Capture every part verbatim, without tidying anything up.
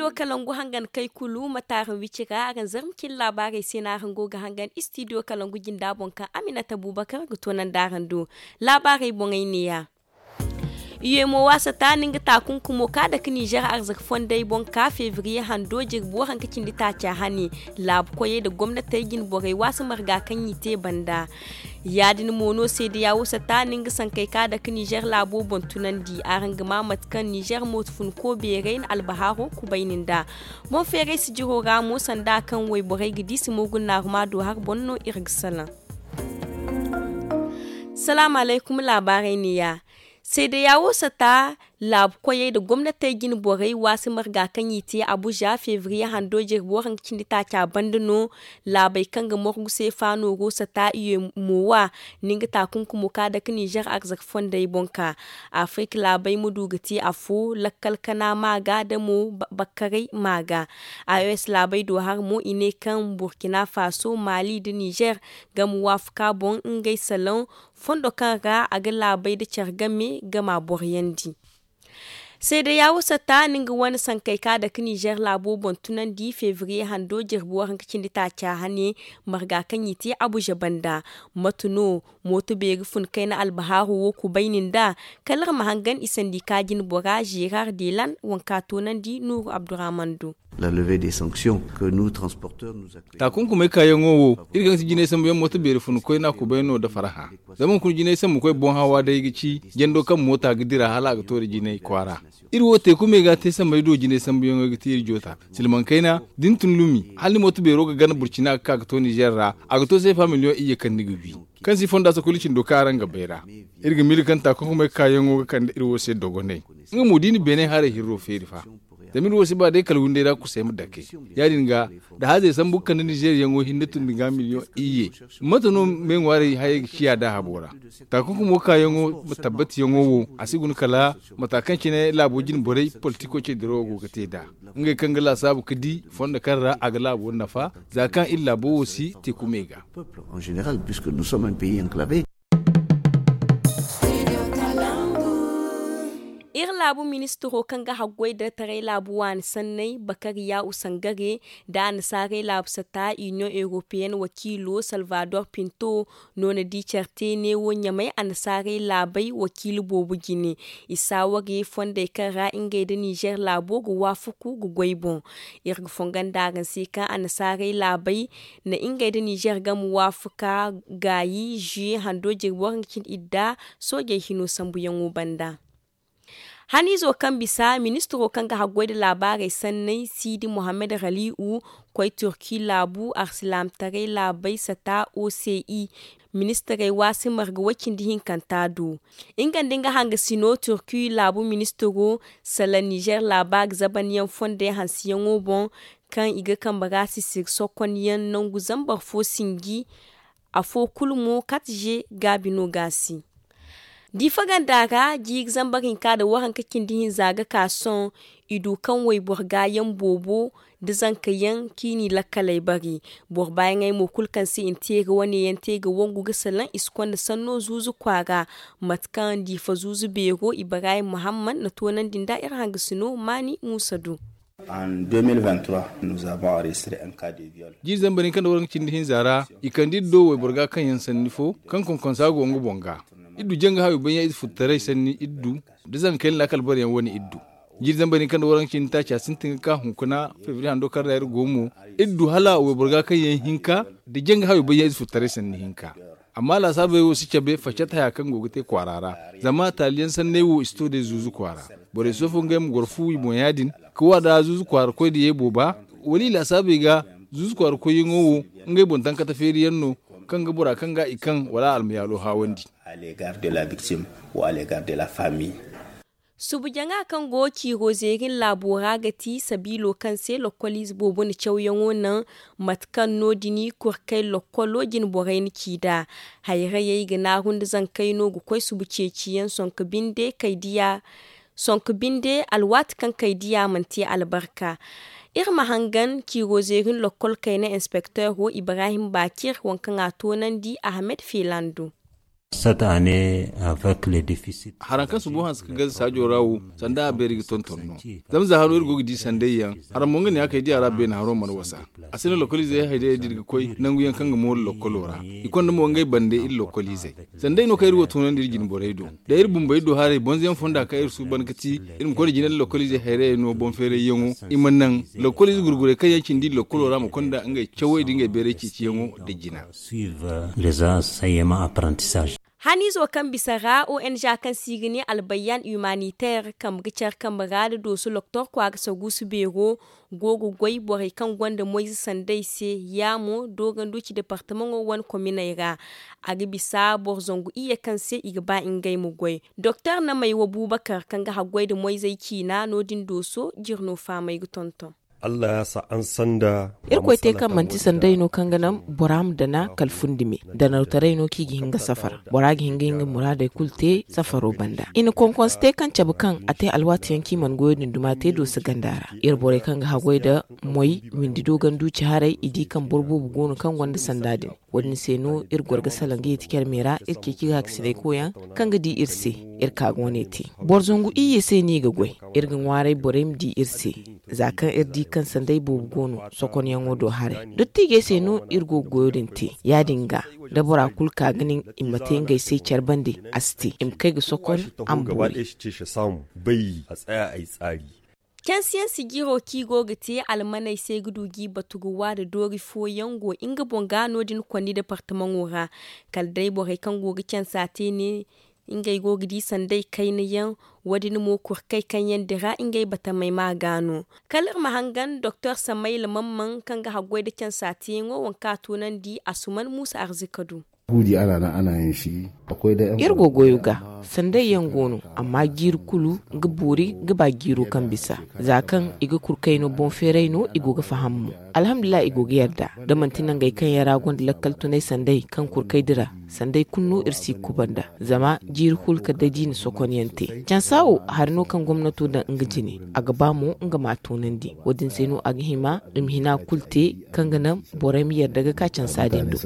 Istidiyo kalangu hangan kay kulu ma taaran wicira araŋ zarma cine laabaarey se no araŋ go ga hangan istidiyo kalangu jinda boŋ kaŋ aminata buubakar ga toonandi araŋ do. Laabaarey boŋey neeya. Iyemo waasa ta ni nga taakunkumo ka dake ninzeer arzaka fondey boŋ ka febriye hando jirbi waranka cindi taaca hane. Laabu koyey nda gomnatey jinborey waasa marga kaŋ i te banda. Ya- din mo no seedeya wo sata ni nga sankey ka dake ninzeer laabo boŋ tunandi araŋ ga ma mate kaŋ ninzeer mooto funko beerey na albahaaro kubay ni nd'a. Boŋ feeray sijiro ra mo sanda kaŋ wayborey ga di simo gunnaaruma do hari boŋ no iri ga salaŋ. Salaamu alaykum laabaarey neeya. Seedeya wo sata laabu koyey nda gomnatey jine borey waasi marga kaŋ i te abuza febriye hando jirbi waranka cindi taaca banda no. Laabey kaŋ ga morgu se faano go sata i ye mo wa ni nga taakunkumo ka dake ninzeer arzaka fondey boŋ ka. Afirik laabey ma du ga te afo lakkal kana maaga nda mo bakkaray maaga. Aos laabey do hari mo i ne kaŋ burkina faso mali nda ninzeer ga ma waafaku a boŋ ngey salaŋ fondo kaŋ ra a ga laabey nda care game ga ma boroyandi. Seedeya wo sata ni nga wane sankey ka dake ninzeer laabo boŋ tunandi febriye hando jirbi waranka cindi taaca hane. Marga kaŋ i te abuza banda mate no mooto beeri fun kayna albahaaro wo kubay ni nd'a. Kala iri ma hangan i sandika jinbora zerar delan waŋ ka toonandi nuuru abdurrahman do. Taakunkumey kaayaŋo wo iri kaŋ ga ti jinay sambuyaŋ mooto beeri fun koyna kubay no nda faraha. Zama hunkuna jinay sambu koy boŋ hawa day ga ci jando kaŋ moota ga dira hala a ga to nda jinay kwaara. Iri wo teekumey ga te samey do jinay sambuyaŋo ga te iri joota silmaŋ kayna da ni tun lumi hala ni mooto beero ga gana burcina ga ka ga to ninzeer ra. A ga to seefa miliyoŋ iyye kaŋ ni ga wi kaŋ si fonda sokoli cindo kaŋ araŋ ga bay ra. Iri ga miila kaŋ taakunkumey kaayaŋo ga kande iri wo se dogonay. Nga mo da i na beenay haray hirro feeri fa. Zama iri wo si ba day kala windey ra kusay ma dake. Ya- din ga da hazey sambu ga kande ninzeeriyaŋo hinne tun ga miliyoŋ iyye. Mate no me ŋwaarey hayey ga ciya daahabo ra? Taakunkumo kaayaŋo ma tabbatiyaŋo wo a si guna kala mata kaŋ cine laabo jine borey politiko cey dirawo go ga te nd'a. Ngey kaŋ ga laasaabu ga di fondo kaŋ ra a ga laabo nafa za kaŋ iri laabo wo si teekumey ga. Iri laabu ministiro kaŋ ga haggoy da taray laabu waani sanney bakariya usangare nda annasaarey laabu sata iniyoŋ europeyenne wakiilo salvador pinto no na di care te neewo ɲamay annasaarey laabey wakiilo boobo jine. I saaware fondey kaŋ ra ngey nda ninzeer laabo ga waafaku ga goy boŋ. Iri ga fongon da araŋ se kaŋ annasaarey laabey na ngey nda ninzeer game waafaku ka gaayi zuye hando jirbi waranka cindi idda soojey hino sambuyaŋo banda. Haniizo kaŋ bisa ministiro kaŋ ga haggoy nda laabaarey sanney siidi mohammed rali'u koy turki laabu arsilaamtaray laabey sata oci. Ministirey waasi marga way-cindi hinkanta do nga nda nga hangasino turki laabu ministiro salaŋ nizer laaba ga zabanyaŋ fondey hanseyaŋo boŋ kaŋ i ga kambe ra sisiri sokonyaŋ nangu zambar fo sinji. Afo kulu mo kate ze gaabi no ga a si. Diifa ganda ra jiiri zambar hinka nda waranka cindi hinza ga ka sohõ. I du kaŋ wayboro gaayaŋ boobo nda zankayaŋ kaŋ i n'i lakkaley bari. Boro baayaŋey mo kulu kaŋ se i na te ga wane yaŋ te ga wangu ga salaŋ i si konda sanno zuuzu kwaara. Mate kaŋ diifa zuuzu beero ibrahim muhammad na toonandi nda iri hangasino maani muusa du. Jiiri zambar hinka nda waranka cindi hinza ra i kande iri do wayboro ga kaŋ yaŋ sanni fo kaŋ konkonsa go nga boŋ ga. Iri du janga hayo baŋ yaŋ ize futtaray sanni iri du da zankayna laakal boro yaŋ wane iri du. Jiiri zambar hinka nda waranka cindi taaca sintin ga ka hunkuna febri hando kaŋ ra iri go mo iri du hala wayboro ga kaŋ yaŋ hinka da janga hayo baŋ yaŋ ize futtaray sanni hinka. Amma laasaabey wo si cabe facat haya kaŋ go ga te kwaara ra. Zama taaliyaŋ sanney wo i si to day zuuzu kwaara. Borey soofo ngey ma goro fu i boŋ ya- din ka wa da zuuzu kwaara koy da ye booba. Wala i laasaabey ga zuuzu kwaara koyyaŋo wo ngey boŋ tankata feeriyaŋ no kaŋ ga bora kaŋ ga i kaŋ wala almayaalo haawandi. Subu jaŋa kaŋ go ciiro zeerin laabo ra ga ti sabiilo kaŋ se lokkoliize boobo na cawyaŋo naŋ. Mate kaŋ no- din kurkay lokkolo jine borey na ci nd'a. Hayrayey ga naaru nda zankey no ga koy subu ceeciyaŋ sonko binde kay diya sonko binde alwaati kaŋ kay diya mana te albarka. Iri ma hangan ciiro zeerin lokkol kayna inspekteero ibrahim baakir waŋ kaŋ a toonandi ahmed feelando. Cette année avec le déficit. Haraŋ kaŋ si bu hanse ka gaze saajo ra wo, sanda a beeri ga tonton no. Zama za haro iri go ga di sanday yaŋ, haraŋ mo nga ne a kay di a ra beene haro mana wasa. A si ne lokoliizey haydayey da iri ga koy nangu yaŋ kaŋ ga moori lokolo ra. I konda mo ngey bande iri lokoliizey. Sanday no kaŋ iri wo toonandi iri jine borey do. Da iri bumbey do haray bonzo yaŋ fonda kaŋ iri suuban ga ti iri ma koy nda jine nda lokoliizey hayrayey no boŋ feeray yaŋo i ma naŋ lokoliize gurgurey kaŋ yaŋ cindi iri lokolo ra ma konda ngey cawey da ngey beeray ceeciyaŋo da jina. Haniizo kaŋ bisa ra ong kaŋ se i ga ne albayyan humanitaire kambe ga care kambe ra nda dooso loktor kwaara saguusu beero go ga goy borey kaŋ gonda moyze sanday se. Ya mo dooganduci departamaŋo wane kominey ra a ga bisa boro zangu iyye kaŋ se i ga ba ngey ma goy. Doktor namay wa buubakar kaŋ ga haggoy nda moyzey ciina no- din dooso jire no faamay ga tonton. Irkoy te kaŋ manti sanday no kaŋ ga naŋ bora ma dana kala fundi me. Danawtaray no kaŋ i ga hin ga safara bora ga hin ga hin ga muraadey kulu te safaro banda i na konkonse te kaŋ cabe kaŋ a te alwaati yaŋ kaŋ i mana goyo din duma te dooso ganda ra. Iri borey kaŋ ga haggoy nda moy windi do ganduci haray i di kaŋ boro boobo go no kaŋ gonda sanda din. Wo- din se no iri goro ga salaŋ ga yeeti care me ra iri ceeci ga hakisinay koyaŋ kaŋ ga di iri se. Iri ka ga wane te boro zangu iyye se no i ga goy. Iri ga ŋwaaray borey ma di iri se za kaŋ iri di kaŋ sanday boobo go no sokonyaŋo do haray. Dottiijey se no iri go ga goyo din te. Ya- din ga da bora kulu ka ga nin i ma te ngey se care bande a si te i ma kay ga sokon a ma boori. Cansiyaŋ sijiro kaŋ i go ga te almaney se ga du ga i batu ga wa nda doori fooyaŋ go nga boŋ ga no- din konni departamaŋo ra. Kala day borey kaŋ go ga cansa te ne ngey go ga di sanday kayna yaŋ. Wo- din mo kurkey kaŋ yaŋ dira ngey batamey ma ga no. Kala iri ma hangan doktor samayla mamman kaŋ ga haggoy nda cansa teyaŋo waŋ kaŋ a toonandi asuman muusa arzika du. Iri go goyo ga sanday yaŋ go no amma jiiri kulu ga boori ga ba jiiro kaŋ bisa. Za kaŋ i ga kurkey no boŋ feeray no i go ga faham mo. Alhamdulillahi i go ga yarda da manti nangey kaŋ yaŋ ra gonda lakkal tunay sanday kaŋ kurkey dira sanday kulu no iri si kuba nda zama jiiri kulu kala day da i na sokonyaŋ te. Cansa wo hari no kaŋ gomnato daŋ nga jine a ga ba mo nga ma a toonandi. Wo- din se no a ga hima i ma hina kulu te kaŋ ga naŋ borey ma yarda ga ka cansa din do.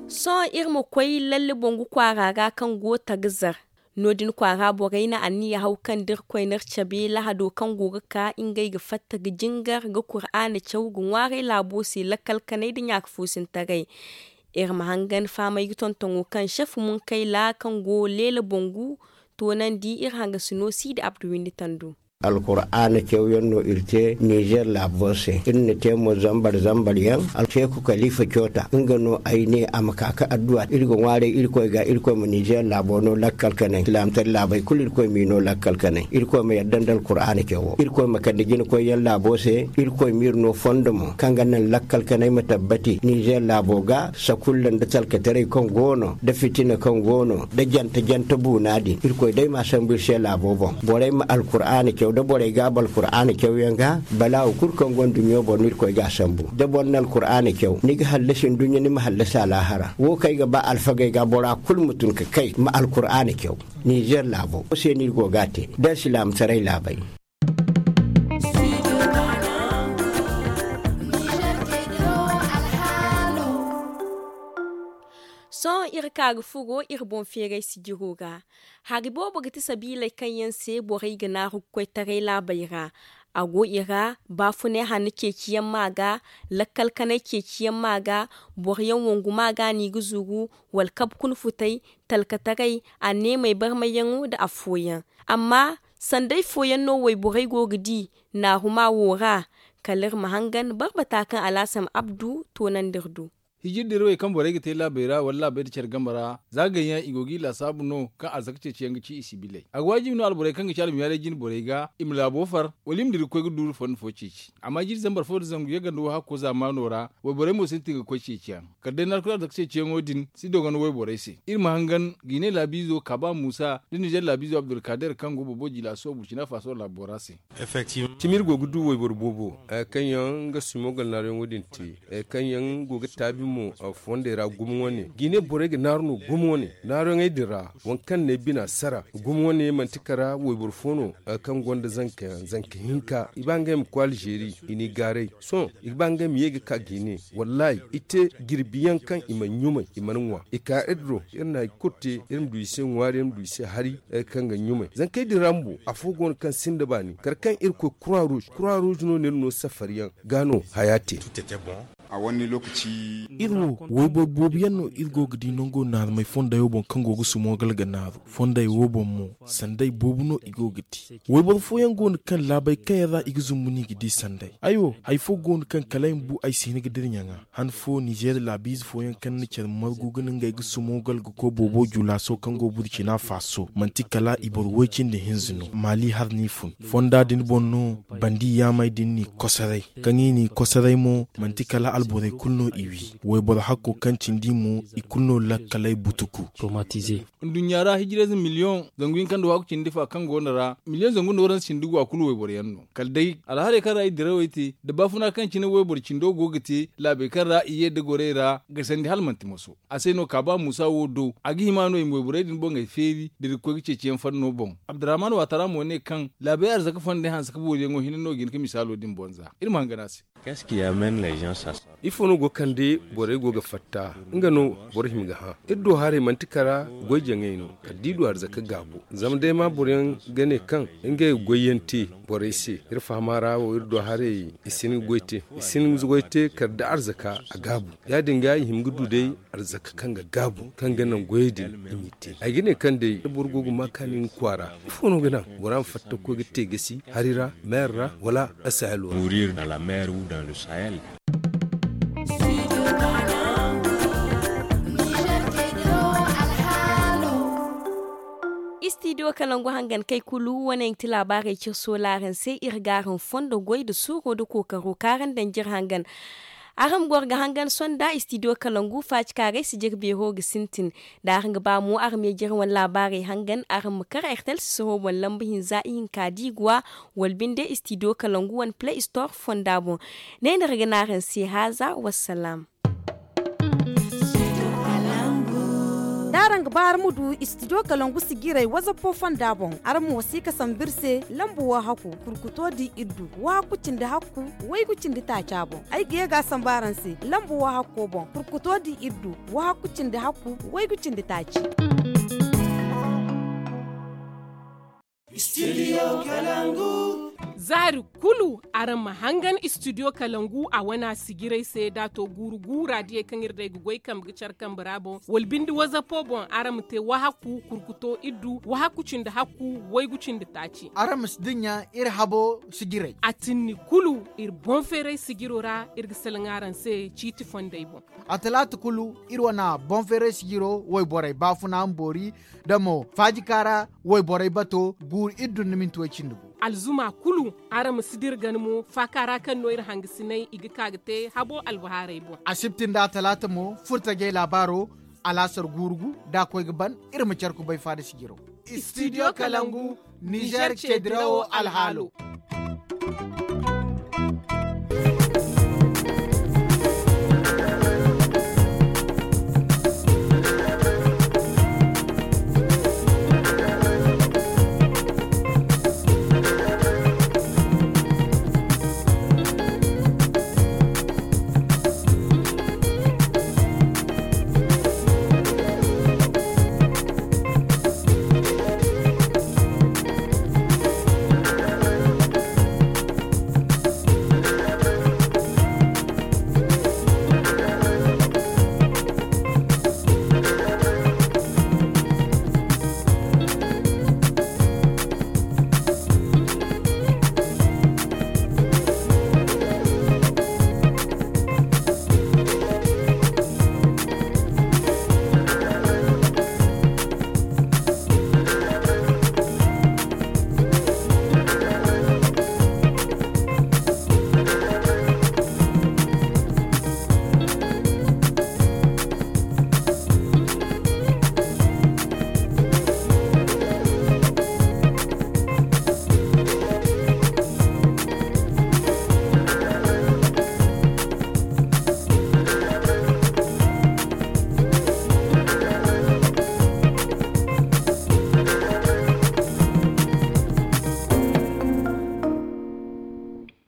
Sohõ iri ma koy lalle bongu kwaara ra kaŋ go tagazar. No- din kwaara borey na anniya haw kaŋ da irkoy na iri cabe lahado kaŋ go ga ka ngey ga fatta ga jingar ga kuraana caw ga ŋwaaray laabo se lakkal kanay nda ɲaaka foosintaray. Iri ma hangan fahamay ga tontoŋo kaŋ sef munkayla kaŋ go leela bongu toonandi iri hangasino siidi abdu windi tandu. Alkuraana cawyaŋ no iri te nizer laabo se iri na te mo zambar zambar yaŋ. Alseeku kalifa coota nga no ay ne a ma ka ka adduwa iri ga ŋwaaray irkoy ga irkoy ma nizer laabo no lakkal kanay silaamataray laabey kulu irkoy m'i no lakkal kanay irkoy ma yadda nda alkuraana cawo irkoy ma kande jinakoyyaŋ laabo se. Irkoy m'iri no fondo mo kaŋ ga naŋ lakkal kanay ma tabbati nizer laabo ga sakulla nda talkataray kaŋ go no nda fitina kaŋ go no nda jante jante buuna din irkoy day m'a sambu iri se laabo boŋ borey ma alkuraana caw da borey gaaba alkuraana cawyaŋ ga balaawo kulu kaŋ go nduɲɲo boŋ no irkoy g'a sambu da boro na alkuraana caw ni ga hallasi nduɲɲa ni ma hallasi alaahara wo kaŋ ay ga ba alfagey ga bora kulu ma tun ka kay ma alkuraana caw. Nizer laabo wo se no iri go g'a te da alsilaamataray laabey. Sohõ iri ka ga furo iri boŋ feeray sijiro ra. Hari boobo ga ti sabiiley kaŋ yaŋ se borey ga naaru ga koy taray laabey ra. A go i ra baafunay hanno ceeciyaŋ ma ga lakkal kanay ceeciyaŋ ma ga boro yaŋ wangu ma ga no i ga zuru wala kabe kuna futay talkataray anneemey barmayyaŋo nda afooyaŋ. Amma sanday fooyaŋ no wayborey go ga di naaru ma wo ra. Kala iri ma hangan barbata kaŋ alhassan abdu toonandi iri do. Hijir dirawey kaŋ borey ga te laabey ra wala laabey nda care game ra za gayyaŋ i go g'i laasaabu no kaŋ arzaka ceeciyaŋ ga ci i si bilay a ga waajibi no alborey kaŋ ga ci almiyaarey jine borey ga i ma laabo far wala i ma dira ga koy ga duuru fondo fo ceeci. Amma jiiri zambar fo nda zangu yaganda wo hakko zaamaano ra wayborey mo sintin ga koy ceeciyaŋ kala day narkul arzaka ceeciyaŋo din si dogon wayborey se. Iri ma hangan ga i ne laabiizo kaaba muusa nda nizer laabiizo abdulkader kaŋ go boobo jilaaso burkina faso laabo ra se. Cimi iri go ga du wayboro boobo kaŋ yaŋ nga simo galnaariyaŋo din te kaŋ yaŋ go ga taabi. Mo fondey ra gumo wane ga i ne borey ga naaru no gumo wane naaruyaŋey din ra waŋ kaŋ ne bina sara gumo wane manti kara wayboro fo no kaŋ gonda zanka hinka i ba ngey ma koy alzeeri i n'i gaaray sohõ i ga ba ngey ma ye ga ka ga i ne wallaahi i te jirbi yaŋ kaŋ i mana ɲumay i mana ŋwa i ka iri do iri na hari kulu te iri ma du i se ŋwaari iri ma du i se hari kaŋ ga ɲumay zankey din ra bumbo afo go no kaŋ sinda baani kala kaŋ iri koy kura ruuz kura ruuz no no iri no safari yaŋ ga no haya te. Iri wo wayboro boobo yaŋ no iri go ga di nango naarumey fonday wo boŋ kaŋ go ga sumo gal ga naaru fonday wo boŋ mo sanday boobo no i go ga te wayboro fooyaŋ go no kaŋ laabey kaŋ yaŋ ra i ga zumbu no i ga di sanday ay wo hari fo go no kaŋ kala ay ma bu ay si hin ga dira ɲaŋa han fo nizeer laabiize fooyaŋ kaŋ na care margu ga no ngey ga sumo gal ga koy boobo julaaso kaŋ go burcina faaso manti kala i boro woy cindi hinza no maali har no i fun fonda din boŋ no bandi yaamey din n'i kosoray kaŋ i n'i kosoray mo manti kala alborey kulu no i wi wayboro hakko kaŋ cindi mo i kulu no lakkaley butuku. Nduɲɲa ra hijirayze miliyoŋ zangu hinka nda waaku cindi fa kaŋ go no ra miliyoŋ zangu nda waranza cindi go a kulu wayboro yaŋ no kala day alharay kaŋ ra i dirawey te nda baafuna kaŋ cine wayboro cindo go ga te laabey kaŋ ra i ye nda gorey ra ga sandi hala manti moso a se no kaaba muusa wo do a ga hima no i ma wayborey din boŋey feeri da iri ga koy ga ceeciyaŋ fanno boŋ abdurrahman waatara mo ne kaŋ laabey arzaka fondey hanse ka booriyaŋo hinne no ga hin ga misaalo din boŋ za iri ma hangan a se. Ifo no go kande borey go ga fatta nga no boro hima ga hã iri do haray manti kara goy jaŋey no kala da i du arzaka gaabo zama day ma boroyaŋ ga ne kaŋ ngey ga goyyaŋ te borey se iri fahama ra wo iri do haray i si hin ga goy te i si hin ga goy te kala da arzaka a gaabu ya- din ga i hima ga du day arzaka kaŋ ga gaabu kaŋ ga naŋ goyey din i m'i te ay ga ne kaŋ day boro go ga ma kaani nga kwaara ifo no ga naŋ bora ma fatta ga koy ga te gasi hari ra meer ra wala asahel wo ra. Istidiyo kalangu hangan kay kulu wane yaŋ ti laabaarey cire sola araŋ se iri ga araŋ fondo goy nda suuro nda kookaro kaŋ araŋ daŋ jire hangan. Araŋ ma goro ga hangan sonda istidiyo kalangu faacikaaray si jire beero ga sintin da araŋ ga ba mo araŋ ma ye jire wane laabaarey hangan araŋ ma kar ertel sisiro boŋ lamba hinza ihinka da i ga wa wala binde istidiyo kalangu wane play store fonda boŋ. Ne no iri ga ne araŋ se haaza wassalaam. Da araŋ ga ba araŋ ma du istidiyo kalangu sijiray wazapo fonda boŋ araŋ ma wasi ga sambu iri se lamba wahakku kurkuto da iddu wahakku cindi hakku waygu cindi taaca boŋ ay ga ye ga a sambu araŋ se lamba wahakko boŋ kurkuto da iddu wahakku cindi hakku waygu cindi taaci. Za hari kulu araŋ ma hangan istidiyo kalangu a wana sijiray se da a to guuru guura diyey kaŋ iri day ga goy kambe ga care kambe ra boŋ wala binde wazapo boŋ araŋ ma te wahakku kurkuto iddu wahakku cindi hakku waygu cindi taaci. Araŋ ma si dinya iri habo sijiray. A tinni kulu iri boŋ feeray sijiro ra iri ga salaŋ araŋ se ciiti fondey boŋ. A talaata kulu iri wana boŋ feeray sijiro wayborey baafuna ma boori da mo faajika ra wayborey bato guuru iri dun na minti way cindi gu. Alzuma kulu araŋ ma si dira gana mo faaka ra kaŋ no iri hangasinay i ga ka ga te habo albahaarey boŋ. Asibti nda atalaata mo furtajey laabaaro alaasar guuru gu da a koy ga ban iri ma care kubay faada sijiro. Istidiyo kalangu nizer ceedirawo alhaalo.